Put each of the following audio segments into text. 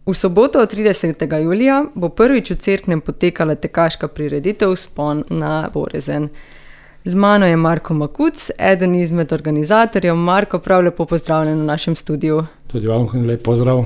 V soboto 30. julija bo prvič v Cerknem potekala tekaška prireditev Vzpon na Porezen. Z mano je Marko Makuc, eden izmed organizatorjev. Marko, prav lepo pozdravljen v našem studiu. Tudi vam lep pozdrav.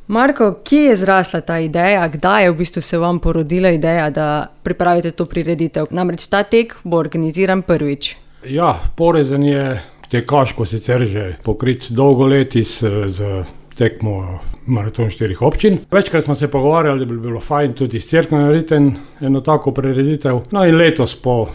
Marko, kje je zrasla ta ideja? Kdaj je v bistvu se vam porodila ideja, da pripravite to prireditev? Namreč ta tek bo organiziran prvič. Ja, Porezen je tekaško sicer že pokrit dolgo leti z tekmo Maraton 4 občin. Večkrat smo se pogovarjali, da bi bilo fajn tudi iz Cerkna narediti eno tako prireditev. No in letos po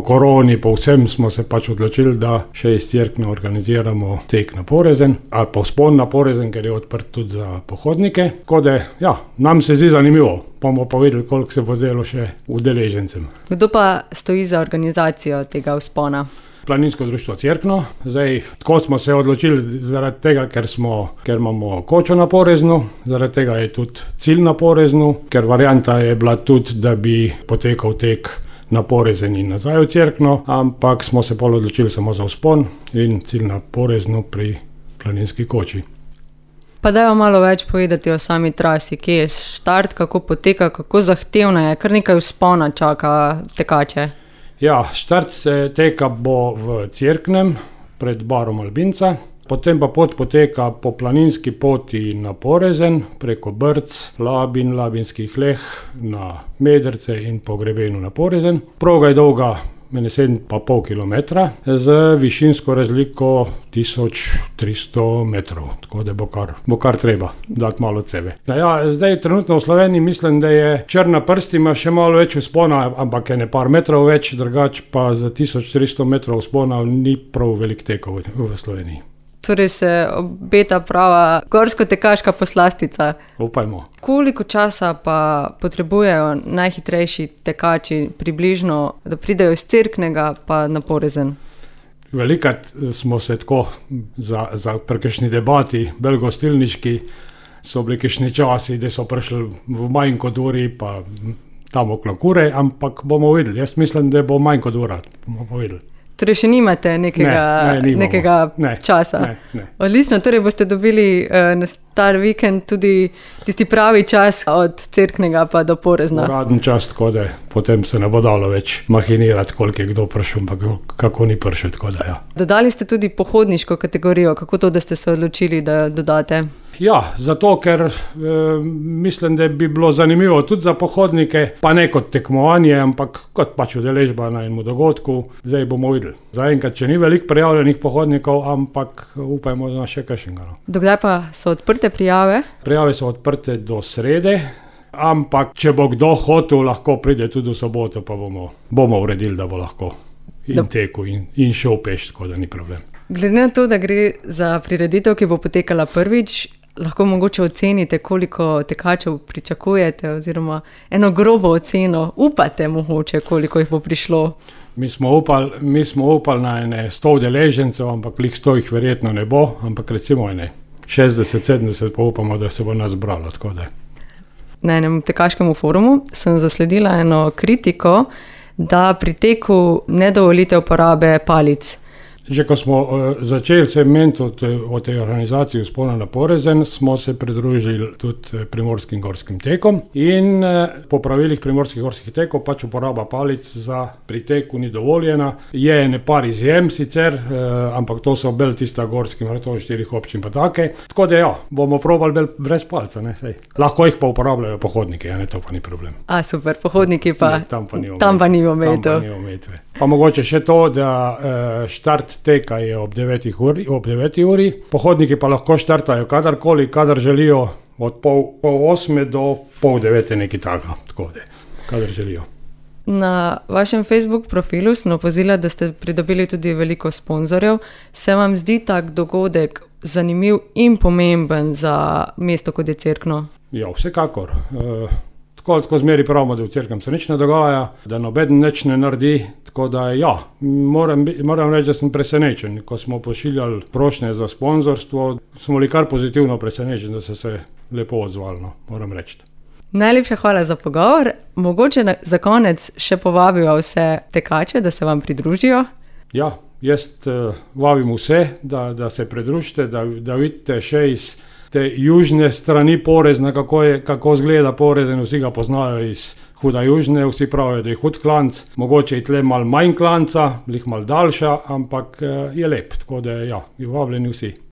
koroni, po vsem smo se pač odločili, da še iz Cerkna organiziramo tek na Porezen ali pa Vzpon na Porezen, ker je odprt tudi za pohodnike. Tako da, ja, nam se zdi zanimivo. Bomo pa videli, koliko se bo zdelo še udeležencem. Kdo pa stoji za organizacijo tega vzpona? Planinsko društvo Cerkno. Zdaj, tako smo se odločili zaradi tega, ker imamo kočo na Poreznu, zaradi tega je tudi cilj na Poreznu, ker varianta je bila tudi, da bi potekal tek na Porezen in nazaj v Cerkno, ampak smo se pol odločili samo za vzpon in cilj na Poreznu pri planinski koči. Pa dajmo malo več povedati o sami trasi, kje je štart, kako poteka, kako zahtevna je, kar nekaj vzpona čaka tekače. Ja, štart se teka bo v Cerknem pred barom Albinca, potem pa pot poteka po planinski poti na Porezen, preko Brc, Labin, Labinskih Leh, na Medrce in po grebenu na Porezen. Proga je dolga 7,5 kilometra z višinsko razliko 1300 metrov, tako da bo kar treba dati malo od sebe. Ja, zdaj trenutno v Sloveniji mislim, da je Črna prst ima še malo več vzpona, ampak je ne par metrov več, drugač pa za 1300 metrov vzpona ni prav velik tekov v Sloveniji. Torej se obeta prava gorsko-tekaška poslastica. Upajmo. Koliko časa pa potrebujejo najhitrejši tekači približno, da pridejo iz Cerknega pa na Porezen? Velikrat smo se tako za kakšni debati, belgostilniški, so bili kakšni časi, da so prišli v manj kot uri, pa tam okrog ure, ampak bomo videli. Jaz mislim, da bo manj kot ura, bomo povedali. Torej še nimate nekega časa? Ne. Odlično, torej boste dobili na star vikend tudi tisti pravi čas od Cerknega pa do Porezna. Uradni čas, tako da potem se ne bo dalo več mahinirati, koliko je kdo prišel, pa kako ni prišel, tako da ja. Dodali ste tudi pohodniško kategorijo, kako to, da ste se odločili, da dodate? Ja, zato, ker mislim, da bi bilo zanimivo tudi za pohodnike, pa ne kot tekmovanje, ampak kot pač udeležba na enem dogodku. Zdaj bomo videli. Zaenkrat, če ni veliko prijavljenih pohodnikov, ampak upajmo na še kakšnega. Dokdaj pa so odprte prijave? Prijave so odprte do srede, ampak če bo kdo hotel, lahko pride tudi v soboto, pa bomo uredili, da bo lahko in tekel in šel peš, tako da ni problem. Glede na to, da gre za prireditev, ki bo potekala prvič, lahko mogoče ocenite, koliko tekačev pričakujete, oziroma eno grobo oceno upate mogoče, koliko jih bo prišlo? Mi smo upali na 100 udeležencev, ampak 100 jih verjetno ne bo, ampak recimo 60-70 pa upamo, da se bo nas zbralo, tako da. Na enem tekaškem forumu sem zasledila eno kritiko, da pri teku ne dovolite uporabe palic. Že ko smo začeli se meniti o tej organizaciji Vzpona na Porezen, smo se pridružili tudi primorskim gorskim tekom in po pravilih primorskih gorskih tekov pač uporaba palic za pri teku ni dovoljena. Je ne par izjem sicer, ampak to so bolj tista gorski Maraton 4 občin pa take. Tako da ja, bomo probali brez palca, ne, sej. Lahko jih pa uporabljajo pohodniki, ne, to pa ni problem. Super, pohodniki pa, ne, tam pa ni omejitve. Pa mogoče še to, da štart teka je ob 9 uri, pohodniki pa lahko štartajo kadarkoli, kadar želijo, od pol 8 do pol 9 nekaj tako da, kadar želijo. Na vašem Facebook profilu sem opazila, da ste pridobili tudi veliko sponzorjev. Se vam zdi tak dogodek zanimiv in pomemben za mesto, kot je Cerkno? Ja, vsekakor. Tako zmeri pravimo, da v Cerknem se nič ne dogaja, da nobeden nič ne naredi, tako da ja, moram reči, da sem presenečen. Ko smo pošiljali prošnje za sponzorstvo, smo bili kar pozitivno presenečeni, da so se lepo odzvali, moram reči. Najlepša hvala za pogovor. Mogoče za konec še povabijo vse tekače, da se vam pridružijo? Ja, jaz vabim vse, da se pridružite, da vidite še iz te južne strani Porezna, kako izgleda Porezen, vsi ga poznajo iz Huda Južne, vsi pravijo, da je hud klanc, mogoče je tle malo manj klanca, lih malo daljša, ampak je lep, tako da ja, vabljeni vsi.